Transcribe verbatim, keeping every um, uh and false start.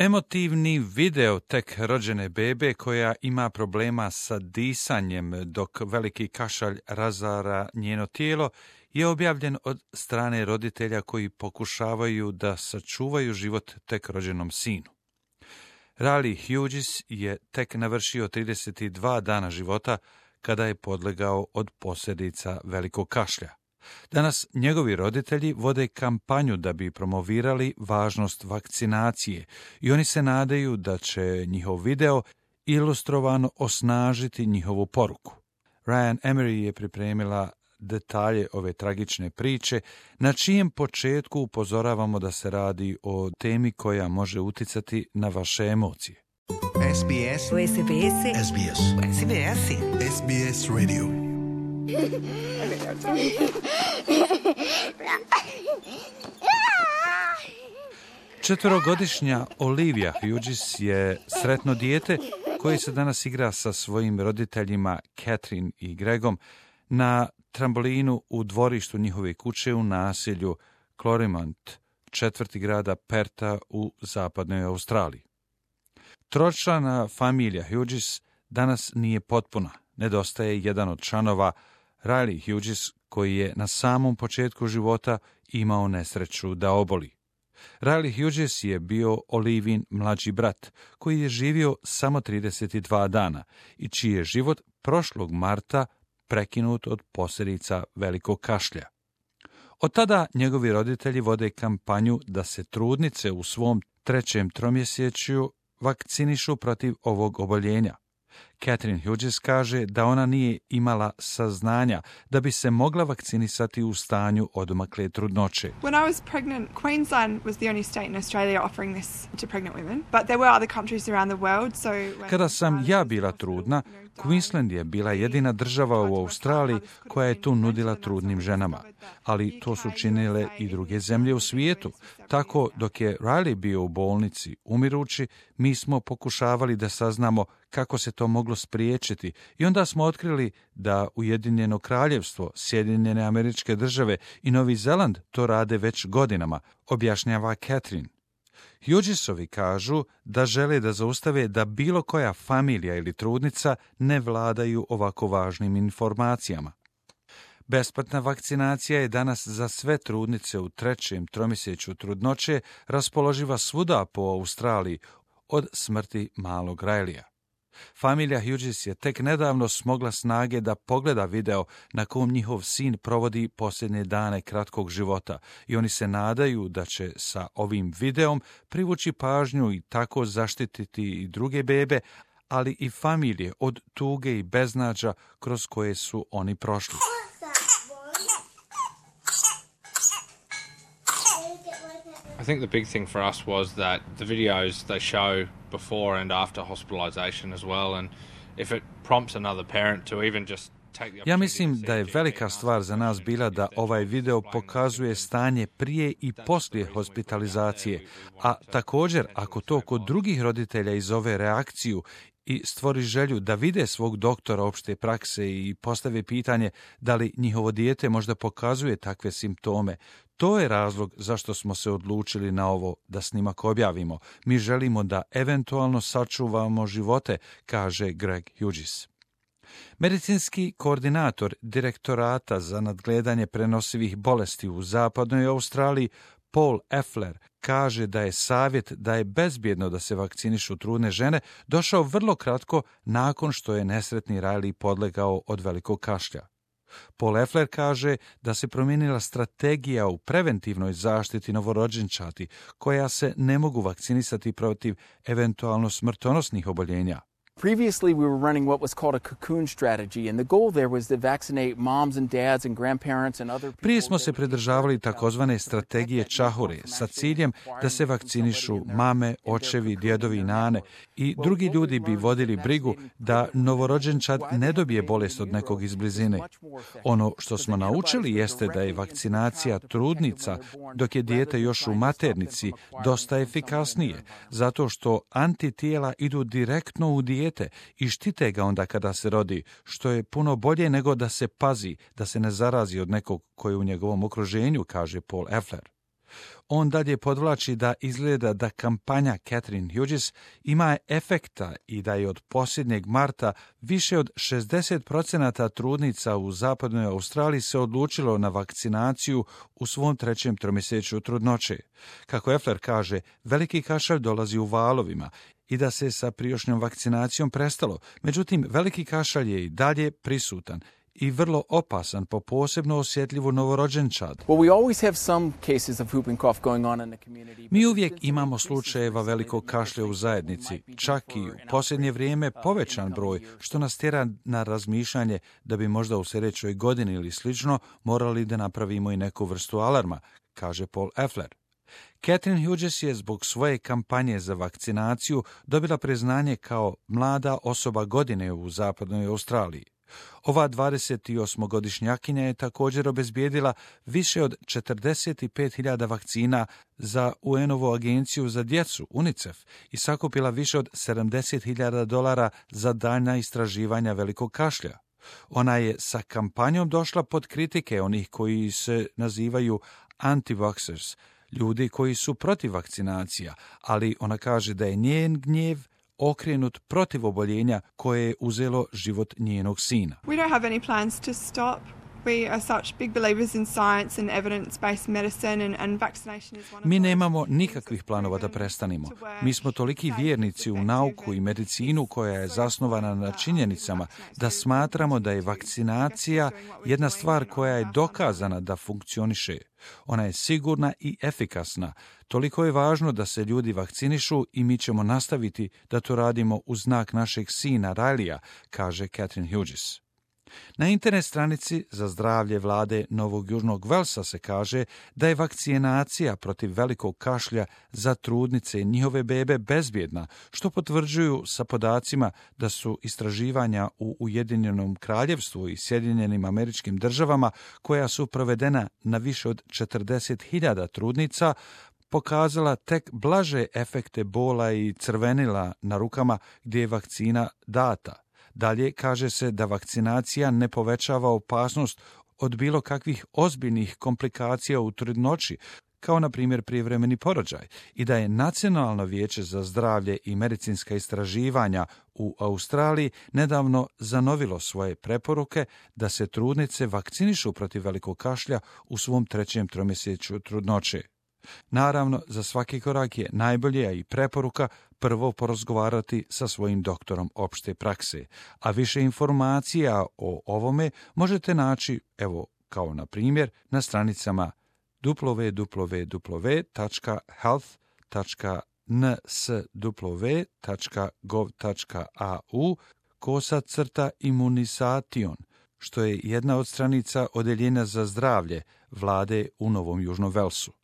Emotivni video tek rođene bebe koja ima problema sa disanjem dok veliki kašalj razara njeno tijelo je objavljen od strane roditelja koji pokušavaju da sačuvaju život tek rođenom sinu. Riley Hughes je tek navršio trideset dva dana života kada je podlegao od posljedica velikog kašlja. Danas njegovi roditelji vode kampanju da bi promovirali važnost vakcinacije i oni se nadaju da će njihov video ilustrovano osnažiti njihovu poruku. Ryan Emery je pripremila detalje ove tragične priče, na čijem početku upozoravamo da se radi o temi koja može uticati na vaše emocije. S B S. S B S. S B S. S B S. S B S Radio. Četverogodišnja Olivia Hughes je sretno dijete koje se danas igra sa svojim roditeljima Catherine i Gregom na trambolinu u dvorištu njihove kuće u naselju Clorimont, četvrti grada Perta u zapadnoj Australiji. Tročlana familija Hughes danas nije potpuna. Nedostaje jedan od članova, Riley Hughes, koji je na samom početku života imao nesreću da oboli. Riley Hughes je bio Olivin mlađi brat, koji je živio samo trideset dva dana i čiji je život prošlog marta prekinut od posljedica velikog kašlja. Od tada njegovi roditelji vode kampanju da se trudnice u svom trećem tromjesečju vakcinišu protiv ovog oboljenja. Catherine Hughes kaže da ona nije imala saznanja da bi se mogla vakcinisati u stanju odmakle trudnoće. When I was pregnant, Queensland was the only state in Australia offering this to pregnant women, but there were other countries around the world, so Kada sam ja bila trudna, Queensland je bila jedina država u Australiji koja je tu nudila trudnim ženama, ali to su činile i druge zemlje u svijetu. Tako, dok je Riley bio u bolnici umirući, mi smo pokušavali da saznamo kako se to moglo spriječiti i onda smo otkrili da Ujedinjeno kraljevstvo, Sjedinjene Američke Države i Novi Zeland to rade već godinama, objašnjava Catherine. Hughesovi kažu da žele da zaustave da bilo koja familija ili trudnica ne vladaju ovako važnim informacijama. Besplatna vakcinacija je danas za sve trudnice u trećem tromjesečju trudnoće raspoloživa svuda po Australiji od smrti malog Rileya. Familija Hughes je tek nedavno smogla snage da pogleda video na kom njihov sin provodi posljednje dane kratkog života i oni se nadaju da će sa ovim videom privući pažnju i tako zaštititi i druge bebe, ali i familije od tuge i beznađa kroz koje su oni prošli. I think the big thing for us was that the videos they show before and after hospitalization as well, and if it prompts another parent to even just take the Ja mislim da je velika stvar za nas bila da ovaj video pokazuje stanje prije i poslije hospitalizacije, a također ako to kod drugih roditelja izove reakciju i stvori želju da vide svog doktora opšte prakse i postave pitanje da li njihovo dijete možda pokazuje takve simptome. To je razlog zašto smo se odlučili na ovo da snimak objavimo. Mi želimo da eventualno sačuvamo živote, kaže Greg Hughes. Medicinski koordinator direktorata za nadgledanje prenosivih bolesti u zapadnoj Australiji, Paul Effler, kaže da je savjet da je bezbjedno da se vakcinišu trudne žene došao vrlo kratko nakon što je nesretni Riley podlegao od velikog kašlja. Paul Effler kaže da se promijenila strategija u preventivnoj zaštiti novorođenčati koja se ne mogu vakcinisati protiv eventualno smrtonosnih oboljenja. Previously, we were running what was called a cocoon strategy, and the goal there was to vaccinate moms and dads and grandparents and other people. Prije smo se pridržavali takozvane strategije čahure sa ciljem da se vakcinišu mame, očevi, djedovi i nane i drugi ljudi bi vodili brigu da novorođenčad ne dobije bolest od nekog iz blizine. Ono što smo naučili jeste da je vakcinacija trudnica dok je dijete još u maternici dosta efikasnije, zato što antitijela idu direktno u dijete i štite ga onda kada se rodi, što je puno bolje nego da se pazi da se ne zarazi od nekog koji je u njegovom okruženju, kaže Paul Effler. On dalje podvlači da izgleda da kampanja Catherine Hughes ima efekta i da je od posljednjeg marta više od šezdeset procenata trudnica u zapadnoj Australiji se odlučilo na vakcinaciju u svom trećem tromjesečju trudnoće. Kako Effler kaže, veliki kašalj dolazi u valovima i da se sa prijašnjom vakcinacijom prestalo. Međutim, veliki kašalj je i dalje prisutan i vrlo opasan po posebno osjetljivu novorođenčad. Mi uvijek imamo slučajeva velikog kašlja u zajednici, čak i u posljednje vrijeme povećan broj, što nas tjera na razmišljanje da bi možda u sljedećoj godini ili slično morali da napravimo i neku vrstu alarma, kaže Paul Effler. Catherine Hughes je zbog svoje kampanje za vakcinaciju dobila priznanje kao mlada osoba godine u zapadnoj Australiji. Ova dvadesetosmogodišnjakinja je također obezbijedila više od četrdeset pet hiljada vakcina za U N-ovu agenciju za djecu, UNICEF, i sakupila više od sedamdeset hiljada dolara za daljnja istraživanja velikog kašlja. Ona je sa kampanjom došla pod kritike onih koji se nazivaju anti-vaxxers, ljudi koji su protiv vakcinacija, ali ona kaže da je njen gnjev okrenut protiv oboljenja koje je uzelo život njenog sina. We don't have any plans to stop. We are such big believers in science and evidence-based medicine and, and vaccination is one of Mi nemamo nikakvih planova da prestanemo. Mi smo toliki vjernici u nauku i medicinu koja je zasnovana na činjenicama da smatramo da je vakcinacija jedna stvar koja je dokazana da funkcioniše. Ona je sigurna i efikasna. Toliko je važno da se ljudi vakcinišu i mi ćemo nastaviti da to radimo u znak našeg sina Rajlija, kaže Catherine Hughes. Na internet stranici za zdravlje vlade Novog Južnog Velsa se kaže da je vakcinacija protiv velikog kašlja za trudnice i njihove bebe bezbjedna, što potvrđuju sa podacima da su istraživanja u Ujedinjenom Kraljevstvu i Sjedinjenim Američkim Državama, koja su provedena na više od četrdeset hiljada trudnica, pokazala tek blaže efekte bola i crvenila na rukama gdje je vakcina data. Dalje kaže se da vakcinacija ne povećava opasnost od bilo kakvih ozbiljnih komplikacija u trudnoći, kao na primjer prijevremeni porođaj, i da je Nacionalno vijeće za zdravlje i medicinska istraživanja u Australiji nedavno zanovilo svoje preporuke da se trudnice vakcinišu protiv velikog kašlja u svom trećem tromjesečju trudnoće. Naravno, za svaki korak je najbolje, a i preporuka, prvo porazgovarati sa svojim doktorom opšte prakse, a više informacija o ovome možete naći, evo, kao na primjer, na stranicama w w w tačka health tačka n s w tačka gov tačka a u kosa crta imunisation, što je jedna od stranica Odeljenja za zdravlje vlade u Novom Južnom Velsu.